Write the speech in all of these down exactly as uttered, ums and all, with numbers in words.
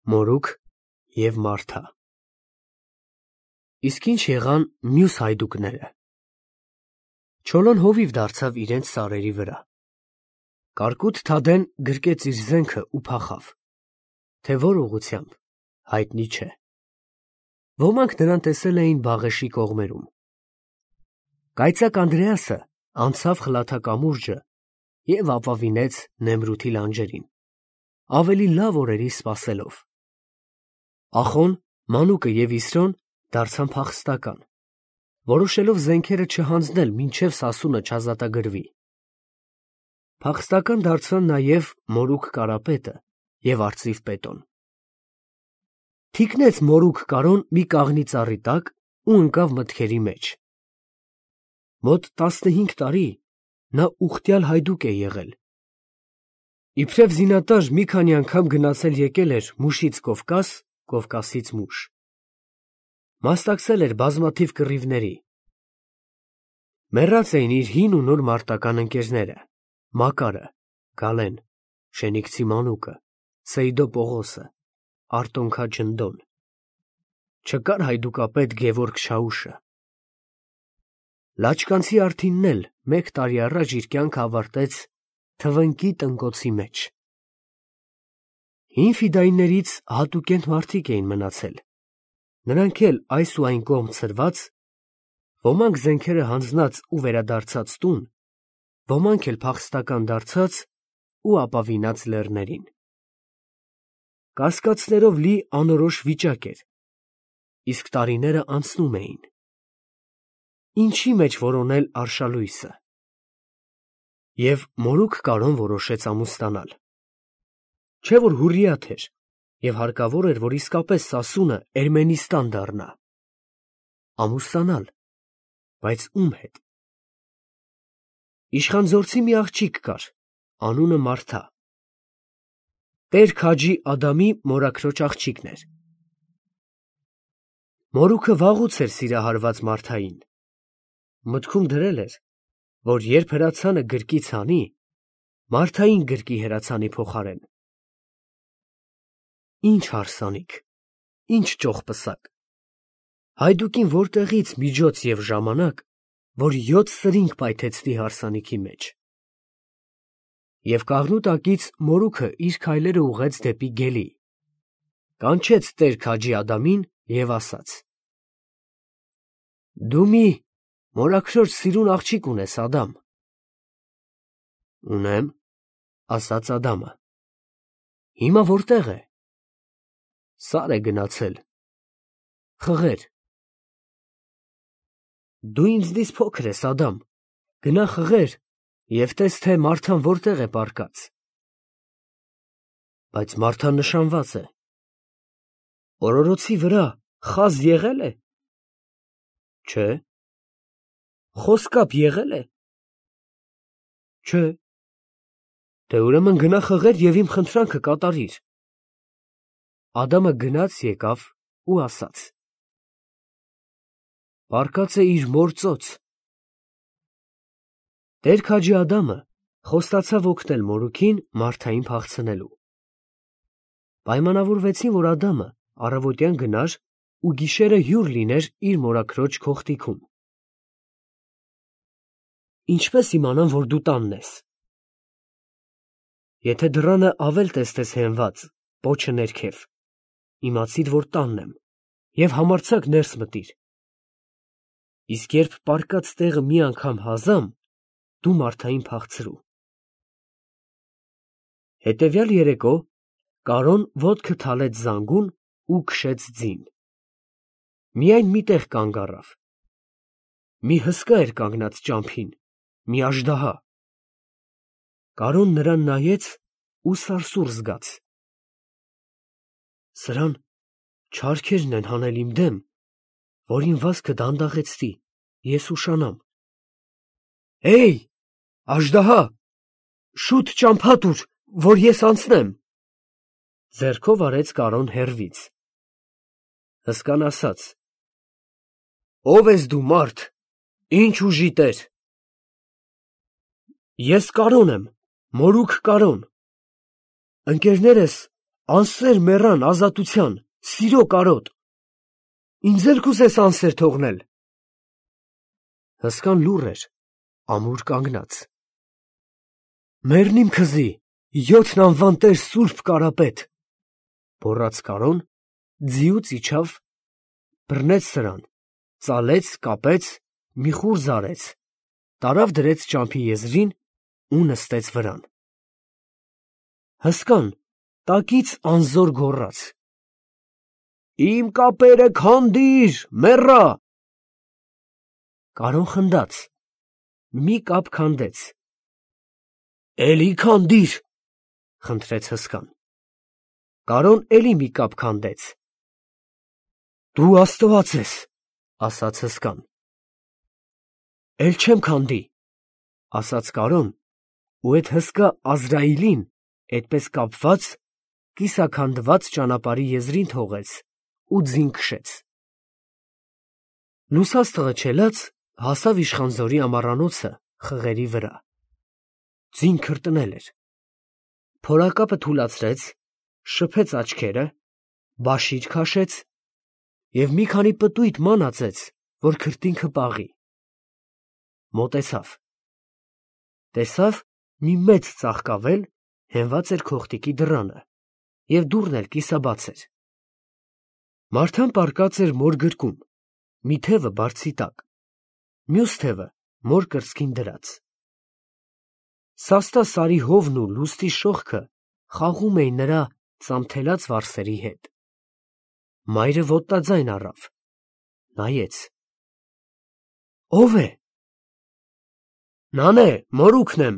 Մորուք և Մարթա։ Իսկ ինչ եղան մյուս հայդուկները։ Չոլոն հովիվ դարձավ իրենց սարերի վրա։ Կարկուտ Թադեն գրկեց իր զենքը ու փախավ, թե որ ուղղությամբ հայտնի չէ։ Ոմանք նրան տեսել էին Բաղեշի կողմերում։ Կայծակ Անդրեասը անցավ խլաթակամուրջը և ապավինեց Նեմրութի լանջերին, ավելի լավ օրերի սպասելով։ Ախոն, Մանուկը և Իսրոն դարձան փախստական, որոշելով զենքերը չհանձնել, մինչև սասունը չազատագրվի։ Փախստական դարձան նաև Մորուք Կարապետը և Արծիվ Պետոն։ Թիկնեց Մորուք Կարոն մի կաղնի ծառի տակ ու ընկավ մտքերի մեջ։ Մոտ տասնհինգ տարի նա ուխտյալ հայդուկ է եղել։ Իբրև զինատար մի քանի անգամ գնացել եկել էր Մուշից Կովկաս, Կովկասից Մուշ։ Մասնակցել էր բազմաթիվ կռիվների։ Մեռած էին իր հին ու նոր մարտական ընկերները՝ Մակարը, Գալեն, Շենիքցի Մանուկը, Սեյդո Պողոսը, Արտոնքա Ջնդոն։ Չկար հայդուկապետ Գևորգ Շաուշը։ Լաչկանցի Արթինն էլ մեկ տարի առաջ իր կյանքը ավարտեց թվնկի տնկոցի մեջ։ Հին ֆիդայիներից հատուկենտ մարդիկ էին մնացել, նրանք էլ այս ու այն կողմ ցրված, ոմանք զենքերը հանձնած ու վերադարձած տուն, ոմանք էլ փախստական դարձած ու ապավինած լեռներին։ Կասկածներով լի անորոշ վիճակ էր, իսկ տարիները անցնում էին։ Ինչի մեջ որոնել արշալույսը։ Եվ Մորուք Կարոն որոշեց ամուսնանալ։ Չէ որ հուրիաթ էր, և հարկավոր էր, որ իսկապես Սասունը Էրմենիստան դառնա։ Ամուսնանալ, բայց ում հետ։ Իշխանձորցի մի աղջիկ կար, անունը Մարթա։ Տեր Քաջի Ադամի մորաքրոջ աղջիկն էր։ Մորուքը վաղուց էր սիրահարված Մարթային։ Մտքում դրել էր, որ երբ հրացանը գրկից հանի, Մարթային գրկի հրացանի փոխարեն։ Ինչ հարսանիք, ինչ ճոխպսակ։ Հայդուկին որտեղից միջոց և ժամանակ, որ յոթ սրինգ պայթեցնի հարսանիքի մեջ։ Եվ կաղնու տակից Մորուքը իր քայլերը ուղղեց դեպի Գելի, կանչեց Տեր Քաջի Ադամին և ասաց. «Դու մի մորաքրոջ սիրուն աղջիկ ունես, Ադամ»։ «Ունեմ», ասաց Ադամը։ «Հիմա որտեղ է»։ «Սար է գնացել»։ «Խղեր»։ «Դու ինձնից փոքր ես, Ադամ, գնա խղեր և տես, թե Մարթան որտեղ է պառկած»։ «Բայց Մարթան նշանված է»։ «Օրորոցի վրա խազ եղե՞լ է»։ «Չէ»։ «Խոսկապ եղե՞լ է»։ «Չէ»։ «Դե ուրեմն գնա խղեր և իմ խնդրանքը կատարիր»։ Ադամը գնաց եկավ ու ասաց. «Պառկած է իր մոր ծոց»։ Տեր Քաջի Ադամը խոստացավ օգնել Մորուքին Մարթային փախցնելու։ Պայմանավորվեցին, որ Ադամը առավոտյան գնար ու գիշերը հյուր լիներ իր մորաքրոջ քոխտիքում։ Ինչպե՞ս իմանամ, որ դու տանն ես։ Եթե դռանը ավել տեսնես հենված, պոչը ներքև, իմացիր, որ տանն եմ, և համարձակ ներս մտիր։ Իսկ երբ պառկած տեղը մի անգամ հազամ, դու Մարթային փախցրու։ Հետևյալ երեկո Կարոն ոտքը թալեց զանգուն ու քշեց ձին։ Միայն մի տեղ կանգ առավ։ Մի հսկա էր կանգնած ճամփին, մի աժդահա։ Կարոն նրան նայեց ու սարսուռ զգաց։ Սրան չարքերն են հանել իմ դեմ, որ իմ վազքը դանդաղեցնի, ես ուշանամ։ Հեյ, աժդահա, շուտ ճամփա տուր, որ ես անցնեմ։ Ձեռքով արեց Կարոն հեռվից։ Հսկան ասաց. Ո՞վ ես դու, մարդ, ինչ ուժի տեր։ Ես Կարոն եմ, Մորուք Կարոն։ Ընկերներս Անսեր մեռան ազատության, սիրո կարոտ։ Ինձ էլ կուզես անսեր թողնել։ Հսկան լուռ էր, ամուր կանգնած։ Մեռն իմ քզի, յոթն անվան տեր սուրբ կարապետ, բոռաց Կարոն, ձիուց իջավ, բռնեց սրան, ծալեց, կապեց, մի խուր զարեց, տարավ դրեց ճամփի եզրին ու նստեց վրան։ Հսկան տակից անզոր գոռաց. «Իմ կապերը քանդիր, մեռա»։ Կարոն խնդաց, մի կապ քանդեց։ «Էլի քանդիր», խնդրեց հսկան։ Կարոն էլի մի կապ քանդեց։ «Դու Աստված ես», ասաց հսկան։ «Էլ չեմ քանդի», ասաց Կարոն, ու էդ հսկա Ազրայիլին, էդպես կապված, կիսաքանդված ճանապարհի եզրին թողեց ու ձին քշեց։ Լուսաստղը չելած հասավ իշխանձորի ամառանոցը խղերի վրա։ Ձին քրտնել էր։ Փորակապը թուլացրեց, շփեց աչքերը, բաշիր քաշեց և մի քանի պտույտ ման ածեց, որ քրտինքը պաղի։ Մոտեցավ։ Տեսավ մի մեծ ծաղկավել հենված էր քողտիկի դռանը, և դուռն էլ կիսաբաց էր։ Մարդան պառկած էր մոր գրկում, մի թևը բարձի տակ, մյուս թևը մոր կրծքին դրած։ Սաստա սարի հովն ու լուստի շողքը խաղում էին նրա ծամթելած վարսերի հետ։ Մայրը ոտնաձայն առավ, նայեց։ «Ո՞վ է»։ «Նան է, մորուքն եմ»,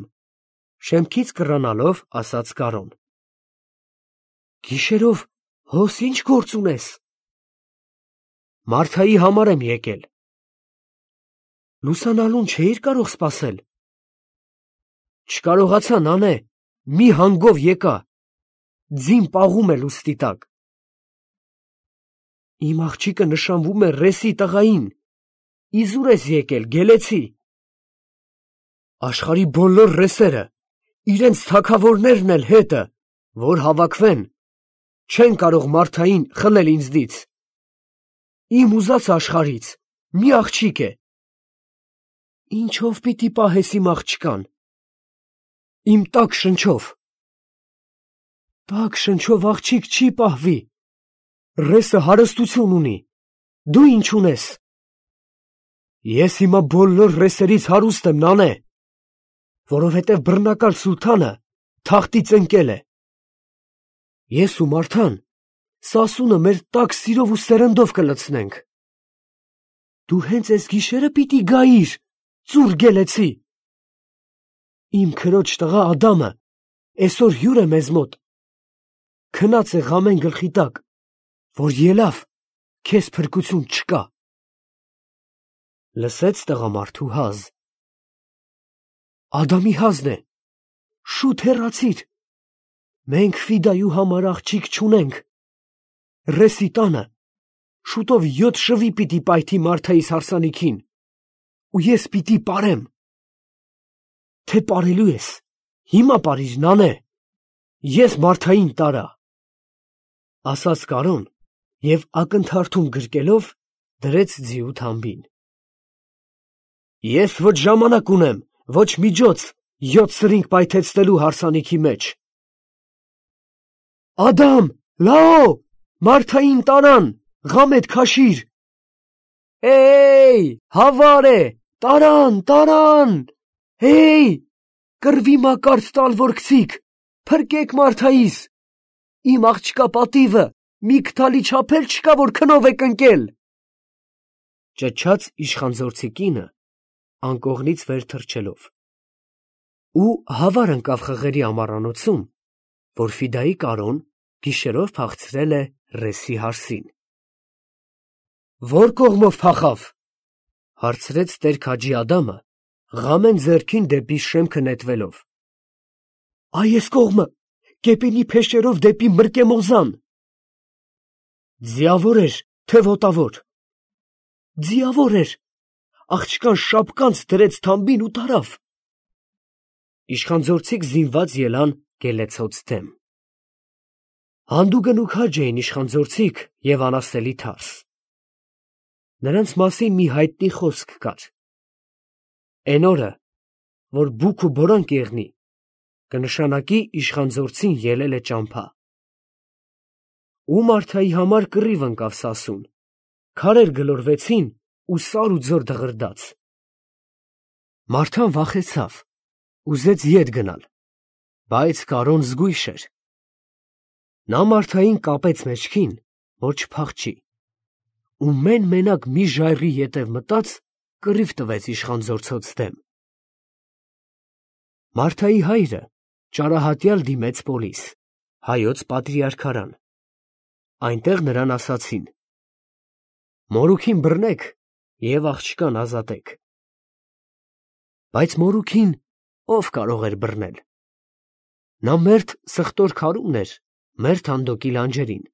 շեմքից կռանալով ասաց Կարոն։ «Գիշերով հոս ի՞նչ գործ ունես»։ «Մարթայի համար եմ եկել»։ «Լուսանալուն չէիր կարող սպասել»։ «Չկարողացա, նանե, մի հանգով եկա, ձին պաղում է լուստի տակ»։ «Իմ աղջիկը նշանվում է ռեսի տղային, իզուր ես եկել, գելեցի»։ «Աշխարհի բոլոր ռեսերը, իրենց թագավորներն էլ հետը, որ հավաքվեն, չեն կարող Մարթային խլել ինձնից։ Իմ ուզած աշխարհից մի աղջիկ է։ Ինչո՞վ պիտի պահես իմ աղջկան։ Իմ տաք շնչով։ Տաք շնչով աղջիկ չի պահվի։ Ռեսը հարստություն ունի, դու ինչ ունես։ Ես հիմա բոլոր ռեսերից հարուստ եմ, նանե, որովհետև բռնակալ սուլթանը թախտից ընկել է։ Ես ու Մարթան սասունը մեր տաք սիրով ու սերնդով կլցնենք։ Դու հենց այս գիշերը պիտի գայիր, ծուռ գելեցի։ Իմ քրոջ տղա Ադամը այսօր հյուր է մեզ մոտ, քնած է ղամեն գլխի տակ, որ ելավ, քեզ փրկություն չկա։ Լսեց տղամարդու հազ։ Ադամի հազն է, շուտ հեռացիր, մենք Ֆիդայու համար աղջիկ չունենք, ռեսի տանը շուտով յոթ շվի պիտի պայթի Մարթայիս հարսանիքին, ու ես պիտի պարեմ։ Թե պարելու ես, հիմա պարիր, նանե, ես Մարթային տարա, ասաց Կարոն և ակնթարթում գրկելով դրեց ձիու թամբին։ Ես ոչ ժամանակ ունեմ, ոչ միջոց յոթ սրինգ պայթեցնելու հարսանիքի մեջ։ Ադամ, լաո, Մարթային տարան, ղամեդ քաշիր։ Էյ, հավար է, տարան, տարան, էյ, կռվի մակարդ տալ որ գցիկ, փրկեք Մարթայիս, իմ աղջկա պատիվը մի քթալի չափ էլ չկա, որ քնով եք ընկել։ Ճչաց իշխանձորցի կինը, անկողնից վեր թռչելով, ու հավար ընկավ խղերի ամառանոցում, որ Ֆիդայի Կարոն գիշերով փախցրել է ռեսի հարսին։ Ո՞ր կողմով փախավ, հարցրեց տեր-քաջի Ադամը, ղամեն ձեռքին դեպի շեմքը նետվելով։ Այս կողմը, Կեպինի փեշերով դեպի Մրկեմոզան։ Ձիավոր էր, թե ոտավոր։ Ձիավոր էր, աղջկան շապկանց դրեց թամբին ու տարավ։ Իշխանձորցիք զինված ելան Գելեցոց դեմ։ Հանդուգն ու քաջ էին իշխանձորցիք և անասելի թարս։ Նրանց մասին մի հայտնի խոսք կար. «Էն օրը, որ բուք ու բորանք եղնի, կնշանակի իշխանձորցին ելել է ճամփա»։ Ու Մարթայի համար կռիվ ընկավ Սասուն, քարեր գլորվեցին ու սար ու ձոր դղրդաց։ Մարթան վախեցավ, ուզեց ետ գնալ, բայց Կարոն զգույշ էր։ Նա Մարթային կապեց մեջքին, որ չփախչի, ու մեն֊մենակ մի ժայռի ետև մտած, կռիվ տվեց իշխանձորցոց դեմ։ Մարթայի հայրը ճարահատյալ դիմեց պոլիս, հայոց պատրիարքարան։ Այնտեղ նրան ասացին. «Մորուքին բռնեք և աղջկան ազատեք»։ Բայց մորուքին ո՞վ կարող էր բռնել։ Նա մերթ սխտոր քարում էր, մերթ հանդոկի լանջերին,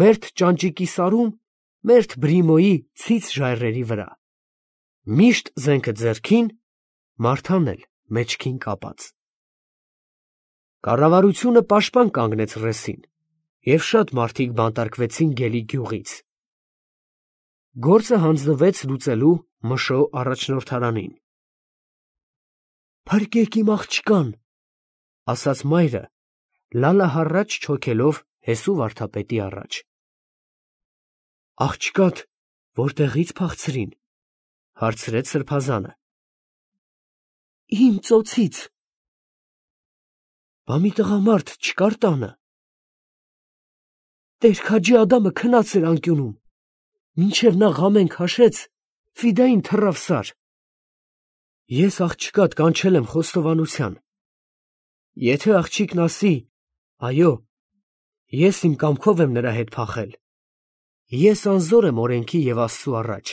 մերթ ճանճիկի սարում, մերթ բրիմոյի ցից ժայռերի վրա, միշտ զենքը ձեռքին, Մարթան էլ մեջքին կապած։ Կառավարությունը պաշտպան կանգնեց ռեսին, և շատ մարդիկ բանտարկվեցին Գելի գյուղից։ Գործը հանձնվեց լուծելու Մշո առաջնորդարանին։ «Փրկեք իմ աղջկան», ասաց մայրը, լալահառաչ չոքելով Հեսու վարդապետի առաջ։ «Աղջկադ որտեղի՞ց փախցրին», հարցրեց սրբազանը։ «Իմ ծոցից»։ «Բա մի տղամարդ չկար տանը»։ «Տեր֊քաջի Ադամը քնած էր անկյունում, մինչև նա ղամեն քաշեց, ֆիդային թռավ սար։ Ես աղջկադ կանչել եմ խոստովանության։ Եթե աղջիկն ասի. «Այո, ես իմ կամքով եմ նրա հետ փախել», ես անզոր եմ օրենքի և Աստծու առաջ։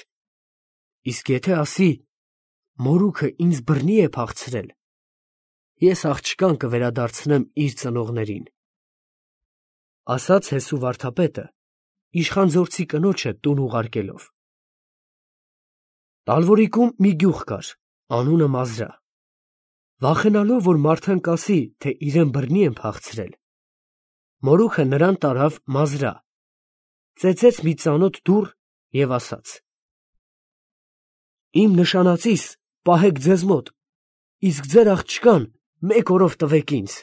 Իսկ եթե ասի. «Մորուքը ինձ բռնի է փախցրել», ես աղջկան կվերադարձնեմ իր ծնողներին», ֊ ասաց Հեսու վարդապետը, իշխանձորցի կնոջը տուն ուղարկելով։ Տալվորիկում մի գյուղ կար, անունը Մազրա։ Վախենալով, որ Մարթան կասի, թե իրեն բռնի են փախցրել, մորուքը նրան տարավ Մազրա, ծեծեց մի ծանոթ դուռ և ասաց. «Իմ նշանածիս պահեք ձեզ մոտ, իսկ ձեր աղջկան մեկ օրով տվեք ինձ»։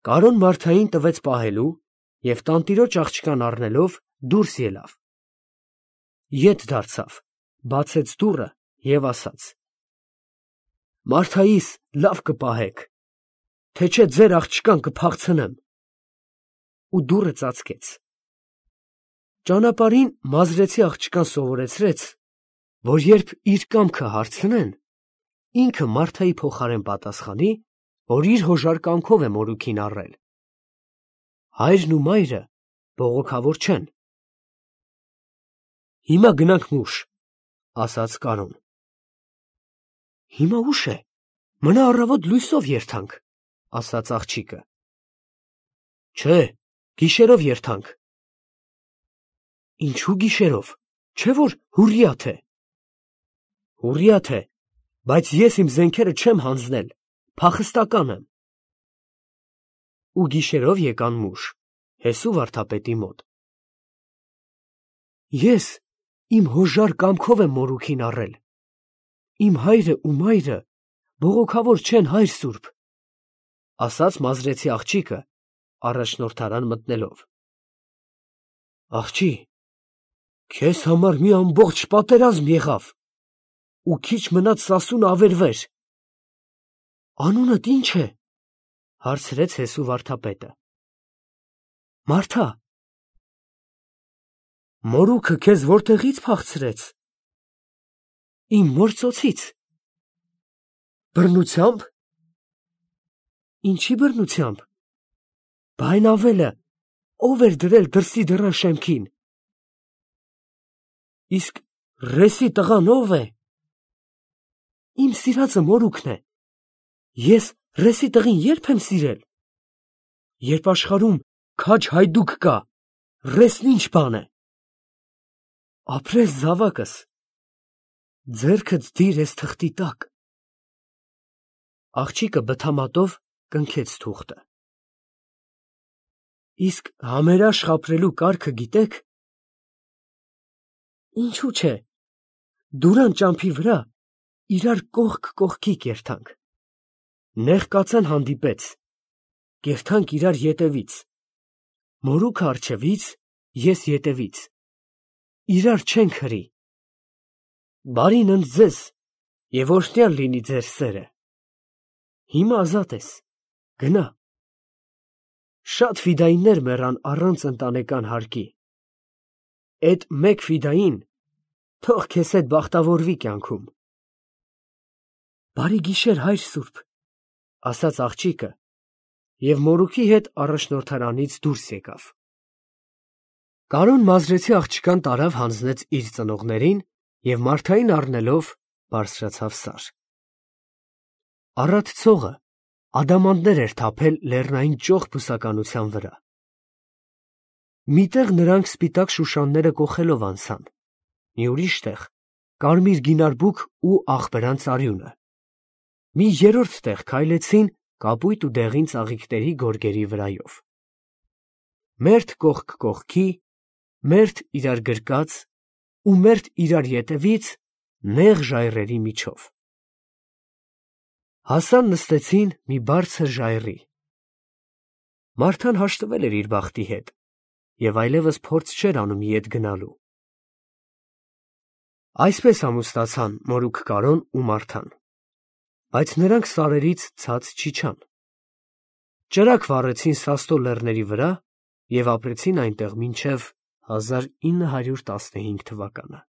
Կարոն Մարթային տվեց պահելու և տանտիրոջ աղջկան առնելով դուրս ելավ։ Ետ դարձավ, բացեց դուռը և ասաց. «Մարթայիս լավ կպահեք, թե չէ ձեր աղջկան կփախցնեմ»։ Ու դուռը ծածկեց։ Ճանապարհին մազրեցի աղջկան սովորեցրեց, որ երբ իր կամքը հարցնեն, ինքը Մարթայի փոխարեն պատասխանի, որ իր հոժար կամքով է մորուքին առել։ Հայրն ու մայրը բողոքավոր չեն։ «Հիմա գնանք մուշ», ֊ ասաց Կարոն։ «Հիմա ուշ է, մնա առավոտ լույսով երթանք», ֊ ասաց աղջիկը։ «Չէ, գիշերով երթանք»։ «Ինչո՞ւ գիշերով, չէ՞ որ հուռիաթ է»։ «Հուռիաթ է, բայց ես իմ զենքերը չեմ հանձնել, փախստական եմ»։ Ու գիշերով եկան մուշ, Հեսու վարդապետի մոտ։ «Ես իմ հոժար կամքով եմ մորուքին առել, իմ հայրը ու մայրը բողոքավոր չեն, հայր սուրբ», ֊ ասաց մազրեցի աղջիկը, առաջնորդարան մտնելով։ «Աղջի, քեզ համար մի ամբողջ պատերազմ եղավ, ու քիչ մնաց Սասունը ավերվեր։ Անունդ ի՞նչ է, ֊ հարցրեց Հեսու վարդապետը։ ֊ Մարթա։ Մորուքը քեզ որտեղի՞ց փախցրեց։ ֊ Իմ մոր ծոցից։ ֊ Բռնությա՞մբ։ ֊ Ինչի բռնությամբ։ ֊ Բա այն ավելը ո՞վ էր դրել դրսի դռան շեմքին։ ֊ Իսկ ռեսի տղան ո՞վ է։ ֊ Իմ սիրածը մորուքն է։ Ես ռեսի տղին ե՞րբ եմ սիրել։ Երբ աշխարհում քաջ հայդուկ կա, ռեսն ի՞նչ բան է։ Ապրես զավակս, ձեռքդ դիր էս թղթի տակ։ Աղջիկը բթամատով կնքեց թուղթը։ Իսկ համերաշխ ապրելու կարգը գիտեք։ Ինչու՞ չէ, դուրան ճամփի վրա իրար կողք կողքի կերթանք, նեղ կացան հանդիպեց, կերթանք իրար ետևից, մորուքը առջևից, ես ետևից, իրար չենք հրի, բարին ընդ ձեզ և օրհնյալ լինի ձեր սերը, հիմա ազատ ես, գնա։ Շատ ֆիդայիններ մեռան առանց ընտանեկան հարկի, էդ մեկ ֆիդային թող քեզ հետ բախտավորվի կյանքում։ Բարի գիշեր, հայր սուրբ, ասաց աղջիկը և մորուքի հետ առաջնորդարանից դուրս եկավ։ Կարոն Մազրեցի աղջկան տարավ հանձնեց իր ծնողներին և Մարթային առնելով բարձրացավ սար։ Առատ ցողը ադամանդներ էր թափել լեռնային ճոխ բուսականության վրա։ Մի տեղ նրանք սպիտակ շուշանները կոխելով անցան, մի ուրիշ տեղ կարմիր գինարբուք ու աղբրանց արյունը, մի երրորդ տեղ քայլեցին կապույտ ու դեղին ծաղիկների գորգերի վրայով։ Մերթ կողք կողքի, մերթ իրար գրկած ու մերթ իրար ետևից նեղ ժայռերի միջով։ Հասան նստեցին մի բարձր ժայռի։ Մարթան հաշտվել էր իր բախտի հետ և այլևս փորձ չէր անում ետ գնալու։ Այսպես ամուսնացան մորուք Կարոն ու Մարթան, բայց նրանք սարերից ցած չիջան։ Ճրագ վառեցին Սաստո լեռների վրա և ապրեցին այնտեղ մինչև հազար ինը հարյուր տասնհինգ թվականը։